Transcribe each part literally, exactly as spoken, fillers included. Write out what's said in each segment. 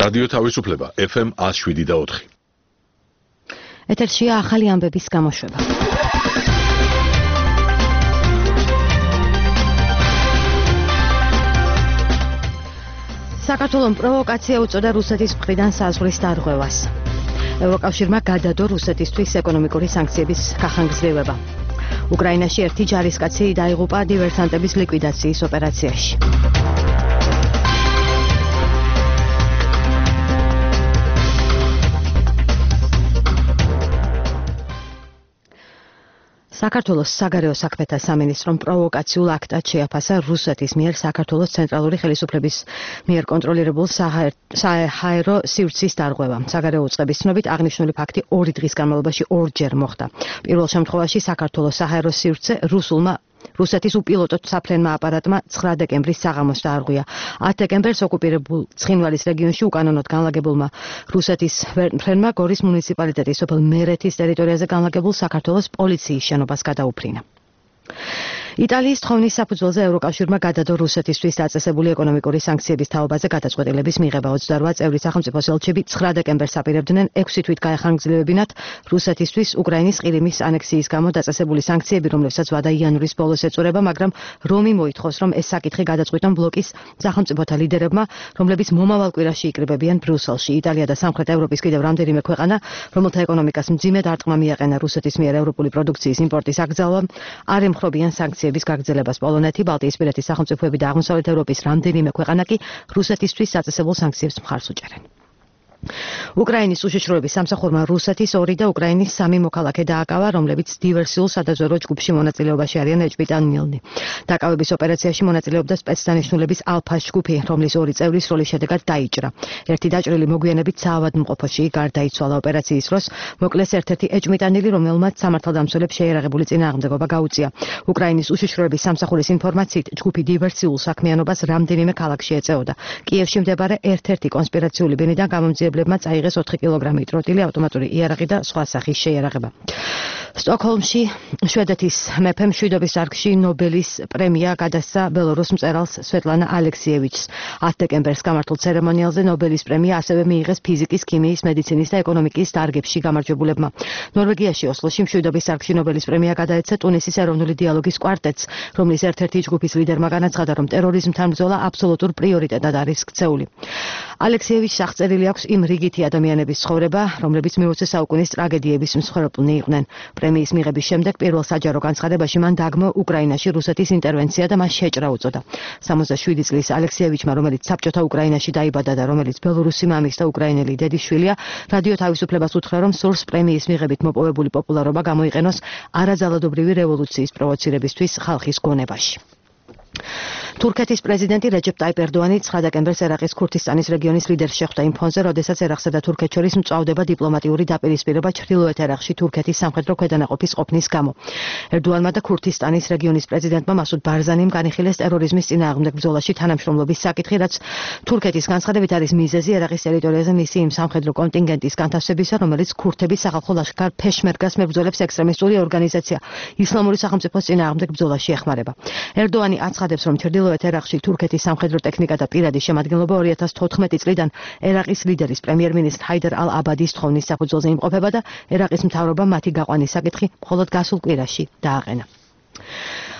რადიო თავისუფლება ეფ ემ ათს შვიდი და ოთხი. ეთერშია ახალი ამბების გამოშვება. საქართველომ პროვოკაცია უწოდა რუსეთის მხრიდან საზღვრის დარღვევას. ევროკავშირმა გადადო რუსეთისთვის ეკონომიკური სანქციების გახანგრძლივება. უკრაინაში ერთი ჯარისკაცი დაიღუპა დივერსანტების ლიკვიდაციის ოპერაციაში. საქართველოს საგარეო საქმეთა სამინისტრომ პროვოკაციულ აქტად შეაფასა რუსეთის მიერ საქართველოს ცენტრალური ხელისუფლების მიერ კონტროლირებულ საჰაერო სივრცის დარღვევა. საგარეო უწყების ცნობით აღნიშნული ფაქტი ორი დღის განმავლობაში ორჯერ მოხდა. პირველ შემთხვევაში საქართველოს საჰაერო სივრცე რუსულმა რუსეთის უპილოტო საფრენმა აპარატმა ცხრა დეკემბრის საღამოს დაარღვია. ათი დეკემბერს ოკუპირებულ ცხინვალის რეგიონში უკანონოდ განლაგებულმა რუსეთის ფრენმა გორის მუნიციპალიტეტის სოფელ მერეთის ტერიტორიაზე განლაგებულ საქართველოს პოლიციის შენობას გადაუფრინა. იტალიის თხოვნის საფუძველზე ევროკავშირმა გადადო რუსეთისთვის დაწესებული ეკონომიკური სანქციების თაობაზე გადაწყვეტილების მიღება. ოცდარვა წევრი სახელმწიფოს ელჩები ცხრა დეკემბერს აპირებდნენ ექვსი თვით გაეხანგრძლივებინათ რუსეთისთვის უკრაინის ყირიმის ანექსიის გამო დაწესებული სანქციები, რომლებსაც ვადა იანვრის ბოლოს ეწურება, მაგრამ რომი მოითხოვს, რომ ეს საკითხი გადაწყვიტონ ბლოკის სახელმწიფოთა ლიდერებმა, რომლებიც მომავალ კვირაში იკრიბებიან ბრიუსელში. იტალია და სამხრეთ ევროპის კიდევ რამდენიმე ქვეყანა, რომელთა ეკონომიკას მძიმე დარტყმა მიაყენა რუსეთის მიერ ევროპული პროდუქციის იმპორტის აკრძალვამ, არ ემხრობიან სანქციების გაგრძელებას. პოლონეთი, ბალტიისპირეთის სახელმწიფოები და აღმოსავლეთ ევროპის რამდენიმე ქვეყანა კი რუსეთისთვის დაწესებულ სანქციებს მხარს უჭერენ. უკრაინის უშიშროების სამსახურმა რუსეთის ორი და უკრაინის სამი მოქალაქე დააკავა, რომლებიც დივერსიულ სადაზვერვო ჯგუფში მონაწილეობაში არიან ეჭვმიტანილნი. დაკავების ოპერაციაში მონაწილეობდა სპეცდანიშნულების ალფას ჯგუფი, რომლის ორი წევრის როლის შედეგად დაიჭრა. ერთი დაჭრილი მოგვიანებით საავადმყოფოში გარდაიცვალა. ოპერაციის დროს მოკლეს ერთ-ერთი ეჭვმიტანილი, რომელმაც სამართალდამცველებს შეერაღებული წინააღმდეგობა გაუწია. უკრაინის უშიშროების სამსახურის ინფორმაციით, ჯგუფი დივერსიულ საქმიანობას რამდენიმე ქალაქში ეწეოდა. კიევში მდებარე ერთ-ერთი კონსპირაციული ბინიდან გამომძიებლებმა წაიღეს ოთხი კილოგრამი ტროტილი, ავტომატური იარაღი და სხვა სახის შეიარაღება. სტოკჰოლმში შვედეთის მეფემ მშვიდობის დარგში ნობელის პრემია გადასცა ბელორუს მწერალს სვეტლანა ალექსიევიჩს. ათი დეკემბერს გამართულ ცერემონიალზე ნობელის პრემია ასევე მიიღეს ფიზიკის, ქიმიის, მედიცინის და ეკონომიკის დარგებში გამარჯვებულებმა. ნორვეგიაში ოსლოში მშვიდობის დარგში ნობელის პრემია გადაეცა ტუნისის ეროვნული დიალოგის კვარტეტს, რომლის ერთ-ერთი ჯგუფის ლიდერმა განაცხადა, რომ ტერორიზმთან ბრძოლა აბსოლუტურ პრიორიტეტად არის ქცეული. ალექსიევიჩს აღწერილი აქვს იმ რიგითი ადამიანების ცხოვრება, რომლებიც მეოცე საუკუნის ტრაგედიების მსხვერპლნი იყვნენ. პრემიის მიღების შემდეგ პირველ საჯარო განცხადებაში მან დაგმო უკრაინაში რუსეთის ინტერვენცია და მას შეჭრა უწოდა. სამოცდაშვიდი წლის ალექსიევიჩმა, რომელიც საბჭოთა უკრაინაში დაიბადა და რომელიც ბელორუსი მამის და უკრაინელი დედის შვილია, რადიო თავისუფლებას უთხრა, რომ სურს პრემიის მიღებით მოპოვებული პოპულარობა გამოიყენოს არაძალადობრივი რევოლუციის პროვოცირებისთვის ხალხის გონებაში. თურქეთის პრეზიდენტი რეჯეპ ტაიპ ერდოანი ცხრა დეკემბერს ერაყის ქურთისტანის რეგიონის ლიდერს შეხვდა იმ ფონზე, როდესაც ერაყსა და თურქეთს შორის მწვავდება დიპლომატიური დაპირისპირება ჩრდილოეთ ერაყში თურქეთის სამხედრო ქვედანაყოფის ყოფნის გამო. ერდოანმა და ქურთისტანის რეგიონის პრეზიდენტმა მასუდ ბარზანიმ განიხილეს ტერორიზმის წინააღმდეგ ბრძოლაში თანამშრომლობის საკითხი, რაც თურქეთის განცხადებით არის მიზეზი ერაყის ტერიტორიაზე მისი იმ სამხედრო კონტინგენტის განთავსებისა, რომელიც ქურთების სახალხო ლაშქარ ფეშმერგას მებრძოლებს ექსტრემისტული ორგანიზაცია ისლამური სახელმწიფოს წინააღმდეგ ბრძოლაში ეხმარება. ერდოანი აცხადებს, რომ ჩრდილოეთ ერაყში თურქეთის სამხედრო ტექნიკა და პირადი შემადგენლობა ორი ათას თოთხმეტი წლიდან ერაყის ლიდერის პრემიერ-მინისტრ ჰაიდარ ალ-აბადის თხოვნის საფუძველზე იმყოფება და ერაყის მთავრობამ მათი გაყვანის საკითხი მხოლოდ გასულ კვირაში დააყენა.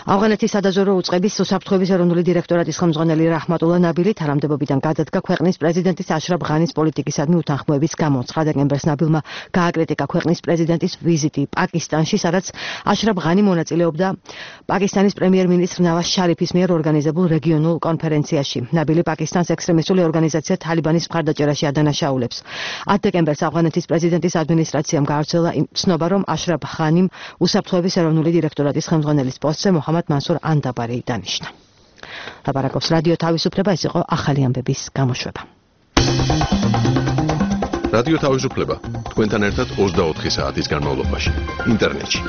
ავღანეთის სადაზვერვო უწყების უსაფრთხოების ეროვნული დირექტორატის ხელმძღვანელი რაჰმატულა ნაბილი თანამდებობიდან გადადგა ქვეყნის პრეზიდენტის აშრაფ ღანის პოლიტიკისადმი უთანხმოების გამო. ცხრა დეკემბერს ნაბილმა გააკრიტიკა ქვეყნის პრეზიდენტის ვიზიტი პაკისტანში, სადაც აშრაფ ღანი მონაწილეობდა პაკისტანის პრემიერ-მინისტრ ნავაზ შარიფის მიერ ორგანიზებულ რეგიონულ კონფერენციაში. ნაბილი პაკისტანს ექსტრემისტული ორგანიზაცია თალიბანის მხარდაჭერაში ადანაშაულებს. ათი დეკემბერს ავღანეთის პრეზიდენტის ადმინისტრაციამ გაავრცელა ცნობა, რომ აშრაფ ღანიმ უსაფრთხოების ეროვნული დირექტორატის ხელმძღვანელის პოსტზე მოჰამად მანსურ ანდაბარი დანიშნა. ლაპარაკობს რადიო თავისუფლება, ეს იყო ახალი ამბების გამოშვება. რადიო თავისუფლება თქვენთან ერთად ოცდაოთხი საათის განმავლობაში ინტერნეტში.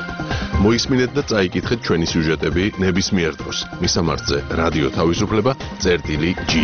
მოისმინეთ და წაიკითხეთ ჩვენი სიუჟეტები ნებისმიერ დროს. მისამართზე რადიო თავისუფლება წერტილი ჯი.